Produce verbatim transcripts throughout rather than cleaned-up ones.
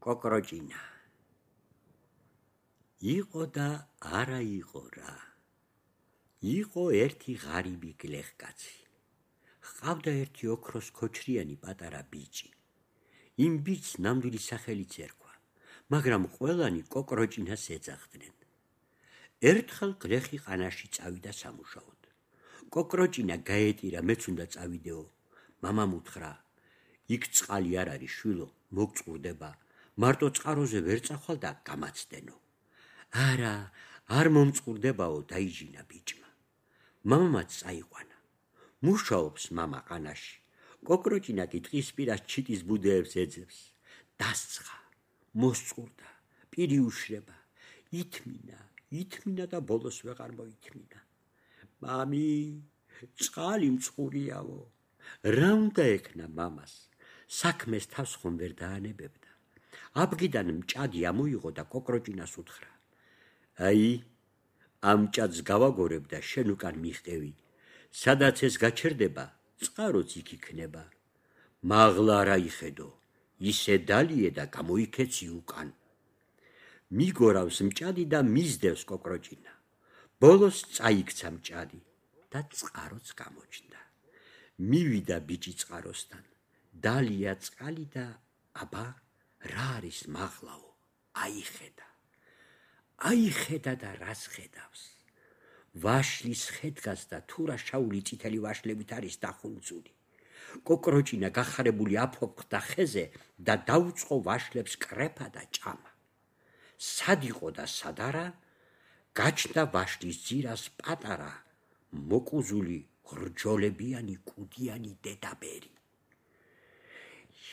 კოკროჭინა იყო და არა იყო რა. იყო ერთი ღარიბი გლეხკაცი. ჰყავდა ერთი ოქროს ქოჩრიანი პატარა ბიჭი. იმ ბიჭს ნამდვილი სახელიც ერქვა, მაგრამ ყველანი კოკროჭინას ეძახდნენ. ერთხელ გლეხი ყანაში წავიდა სამუშაოდ. კოკროჭინა გაეტირა, მეც უნდა წავიდეო. მამამ უთხრა, იქ წყალი არ არის შვილო, მოგწყურდება. მარტო წყაროზე ვერ წახვალ და გამაცდენო. არა, არ მომწყურდებაო, დაიჯინა ბიჭმა. მამამაც წაიყვანა. მუშაობს მამა ყანაში. კოკროჭინა კი ტყის პირას ჩიტის ბუდეებს ეძებს. დასცხა, მოსწყურდა, პირი უშრება. ითმინა, ითმინა და ბოლოს ვეღარ მოითმინა. მამი, წყალი მწყურიაო. რა უნდა ექნა მამას? საქმეს თავს ხომ ვერ დაანებებდა. აბგიდან მჭადი ამოიღო და კოკროჭინას უთხრა. აი, ამ მჭადს გავაგორებ და შენ უკან მიხტევი. სადაც ეს გაჩერდება, წყაროც იქ იქნება. მაღლა არ აიხედო, ისე დალიე და გამოიქეცი უკან. მიგორავს მჭადი და მისდევს კოკროჭინა. ბოლოს წაიქცა მჭადი და წყაროც გამოჩნდა. მივიდა ბიჭი წყაროსთან. დალია წყალი და აბა რა არის მაღლაო, აიხედა. აიხედა და რას ხედავს? ვაშლის ხედგას და თურა შაული წითელი ვაშლებით არის დახუნცული. კოკროჭინა გახარებული აფოფხდა ხეზე და დაუწყო ვაშლებს კრეფა და ჭამა. სად იყო და სად არა, გაჩნდა ვაშლის ძირას პატარა, მოკუზული, ღრჯოლებიანი, კუდიანი დედაბერი.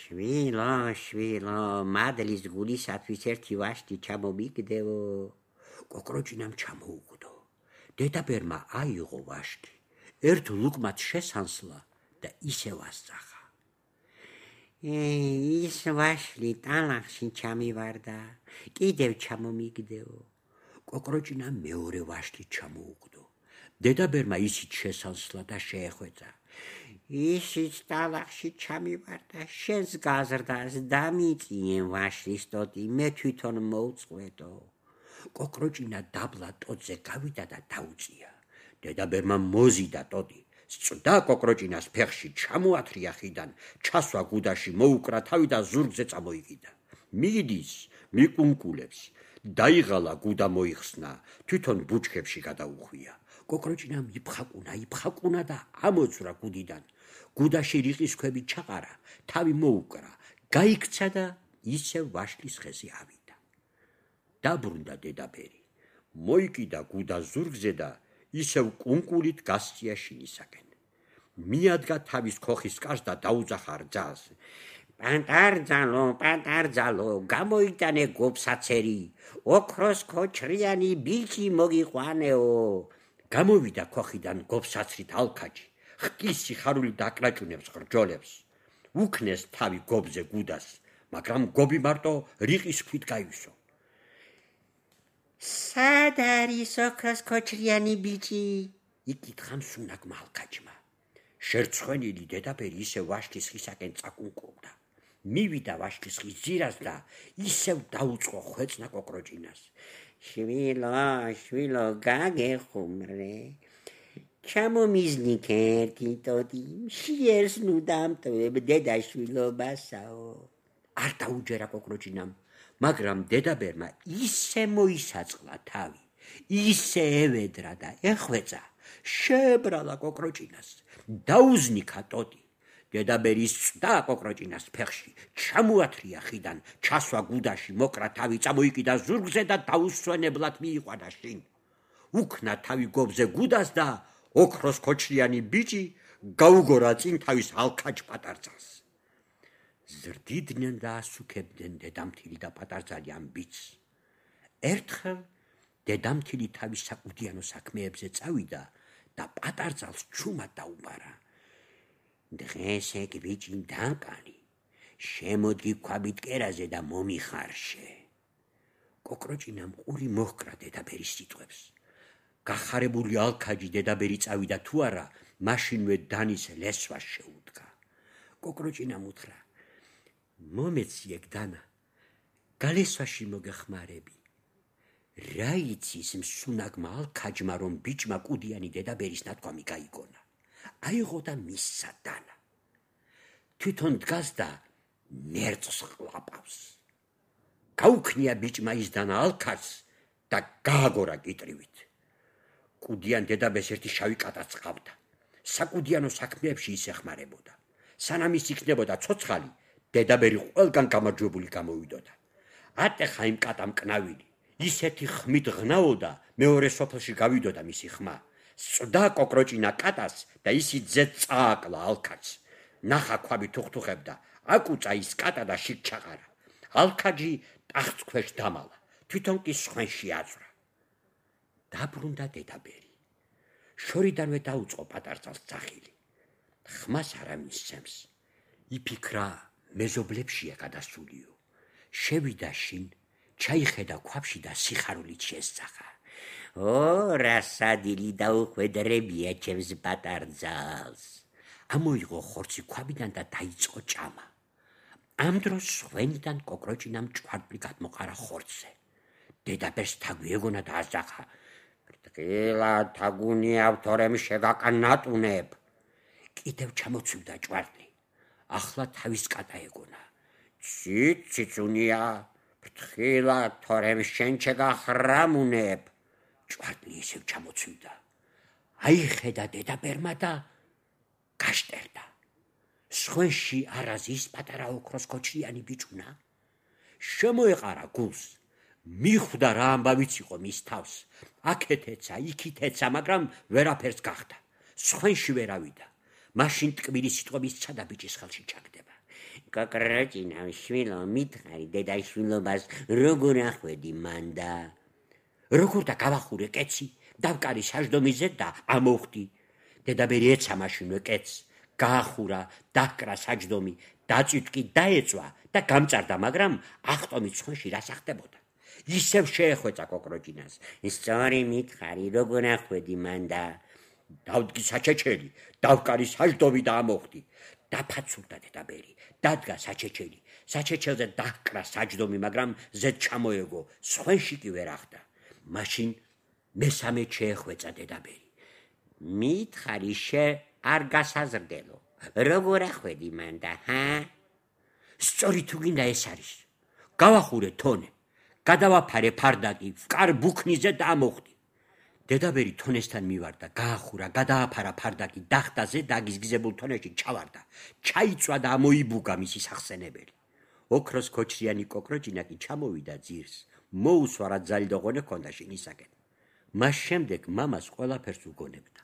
შვილო, შვილო, მადლის გულისათვის ერთი ვაშლი ჩამომიგდეო. კოკროჭინამ ჩამოუგდო. დედაბერმა აიღო ვაშლი, ერთ ლუკმად შესანსლა და ისევ ასწახა. ის ვაშლი ტალახში ჩამივარდა, კიდევ ჩამომიგდეო. კოკროჭინამ მეორე ვაშლი ჩამოუგდო. დედაბერმა ისიც შესანსლა და შეეხვეწა. ისიც ტალახში ჩამივარდა, შენს გაზრდას დამიწიენ ვაშლის ტოტი, მე თვითონ მოვწყვეტო. კოკროჭინა დაბლა ტოტზე გავიდა და დაუწია. დედაბერმა მოზიდა ტოტი, სწდა კოკროჭინას ფეხში, ჩამოათრია ხიდან, ჩასვა გუდაში, მოუკრა თავი და ზურგზე წამოიკიდა. მიდის, მიკუნკულებს, დაიღალა გუდა მოიხსნა, თვითონ ბუჩქებში გადაუხვია. კოკროჭინამ იფხაკუნა, იფხაკუნა და ამოძვრა გუდიდან. გუდაში რიყის ქვები ჩაყარა, თავი მოუკრა, გაიქცა და ისევ ვაშლის ხეზე ავიდა. დაბრუნდა დედაბერი, მოიკიდა გუდა ზურგზე და ისევ კუნკულით გასწია შინისაკენ. მიადგა თავის ქოხის კარს და დაუძახა რძალს. პატარძალო, პატარძალო, გამოიტანე გობსაცერი, ოქროს ქოჩრიანი ბიჭი მოგიყვანეო. გამოვიდა ქოხიდან გობსაცრით ალქაჯი, ხკის სიხარული დაკლაჭუნებს ღრჯოლებს. უქნეს თავი გობზე გუდას, მაგრამ გობი მარტო რიყის ქვით გაივსო. სად არის ოქროს ქოჩრიანი ბიჭი? იკითხა მსუნაგმა ალქაჯმა. შერცხვენილი დედაბერი ისევ ვაშლის ხისაკენ წაკუნკობდა. მივიდა ვაშლის ხის ძირას და ისევ დაუწყო ხვეწნა კოკროჭინას. შვილო, შვილო, გაგეხუმრე. ჩამომიზნიქ ერთი ტოტი, შიერს ნუ დამტვებ დედაშვილობასაო. არ დაუჯერა კოკროჭინამ, მაგრამ დედაბერმა ისე მოისაწყლა თავი, ისე ევედრა და ეხვეწა, შეებრალა კოკროჭინას, დაუზნიქა ტოტი. დედაბერი სწდა კოკროჭინას ფეხში, ჩამოათრია ხიდან, ჩასვა გუდაში, მოკრა თავი, წამოიკიდა ზურგზე და დაუსვენებლად მიიყვანა შინ. უქნა თავი გობზე გუდას და ოქროს ქოჩრიანი ბიჭი გაუგორა წინ თავის ალქაჯ პატარძალს. ზრდიდნენ და ასუქებდნენ დედამთილი და პატარძალი ამ ბიჭს. ერთხელ დედამთილი თავის საკუდიანო საქმეებზე წავიდა და პატარძალს ჩუმად დაუბარა. დღეს ეგ ბიჭი დაკანი, შემოდი ქვაბით კერაზე და მომიხარშე. კოკროჭინამ ყური მოჰკრა დედაბერის სიტყვებს. გახარებული ალქაჯი დედაბერი წავიდა თუ არა, მაშინვე დანის ლესვას შეუდგა. კოკროჭინამ უთხრა, მომეციեք დანა, გალესვაში მოგეხმარები. რა იცი ის მსუნაგმა ალქაჯმა, რომ ბიჭმა კუდიანი დედაბერის ნათქვამი გაიგონა. აიღო და მისცა დანა. თვითონ დგას და ნერწს ყლაპავს. გაუქნია ბიჭმა ის დანა ალქაჯს და გააგორა კიტრივით. კუდიან დედაბეს ერთი შავი კატაც ყავდა. საკუდიანო საქმეებში ის ეხმარებოდა. სანამ ის იქნებოდა ცოცხალი, დედაბერი ყველგან გამარჯვებული გამოვიდოდა. ატეხა იმ კატამ კნავილი. ისეთი ხმით ღნაოდა, მეორე სოფელში გავიდოდა მისი ხმა. სწდა კოკროჭინა კატას და ისიც ძეთ წააკლა ალქაჯს. ნახა ქვაბი თუხთუხებდა, აკუწა ის კატა და შიგ ჩაყარა. ალქაჯი ტახტს ქვეშ დამალა, თვითონ კი სხვენში აწვრა. დაბრუნდა დედაბერი. შორიდანვე დაუწყო პატარცალს ძახილი. ხმას არა მისცემს. იფიქრა, მეზობლებშია გადასულიო. შევიდა შინ, ჩაიხედა ქვაბში და სიხარულით შესძახა. ო, რა სადილი დაუხვედრებია ჩემს პატარძალს. ამოიღო ხორცი ქვაბიდან და დაიწყო ჭამა. ამ დროს ხვენიდან კოკროჭინამ ჭვარტლი გადმოყარა ხორცზე. დედაბერს თაგვი ეგონა და აზახა. ფრთხილა თაგუნიავ თორემ შეგაკანატუნებ. კიდევ ჩამოცვიდა ჭვარტლი. ახლა თავის კატა ეგონა. ცით ციცუნია, ფრთხილა თორემ შენ შეგახრამუნებ. ჭვარტლი ისევ ჩამოცვიდა. აიხედა დედაბერმა და გაშტერდა. სხვენში არაზის პატარა ოქროს კოჩრიანი ბიჭუნა. შემოეყარა გულს. მიხვდა რა ამბავიც იყო მის თავს. აქეთ ეცა, იქით ეცა, მაგრამ ვერაფერს გახდა. სხვენში ვერავიდა. მაშინ ტკბილი სიტყვების ცადა ბიჭის ხელში ჩაგდება. კოკროჭინა შვილო, მითხარი დედაშვილობას როგორ ახვედი მანდა. როგორ და გავახურე კეცი, დავკარი საჯდომიზე და ამოვხდი. დედაბერი ეცა მაშინვე კეცს, გაახურა, დაკრა საჯდომი, დაწვიტკი დაეწვა და გამწარდა, მაგრამ ახტომით სხვენში რა სახდებოდა. ისევ შეეხვეწა კოკროჭინას. სწორი მითხარი, როგორ ახვედი მანდა. დავდგი საჩეჩელი, დავკარი საჯდომი და ამოვხდი. დაფაცურდა დედაბერი, დადგა საჩეჩელი, საჩეჩელზე დაკრა საჯდომი, მაგრამ ზედ ჩამოეგო, სხვენში კი ვერ ახდა. მაშინ მესამე შეეხვეწა დედაბერი. მითხარი შე არ გასაზრდელო, როგორ ახვედი მანდა, ჰა? სწორი თუ გინდა ეს არის. გავახურე თონე, გადავაფარე ფარდაკი, ვკარ ბუქნიზე და ამოვხდი. დედაბერი თონესთან მივარდა, გაახურა, გადააფარა ფარდაკი, დახტაზე და გიზგიზებულ თონეში ჩავარდა. ჩაიწვა და ამოიბუგა მისი სახსენებელი. ოქროს კოჩრიანი კოკროჭინა კი ჩამოვიდა ძირს. მოუსვა რა ძალიდოღონე ჰქონდა შინისაკენ. მას შემდეგ მამას ყველაფერს უგონებდა.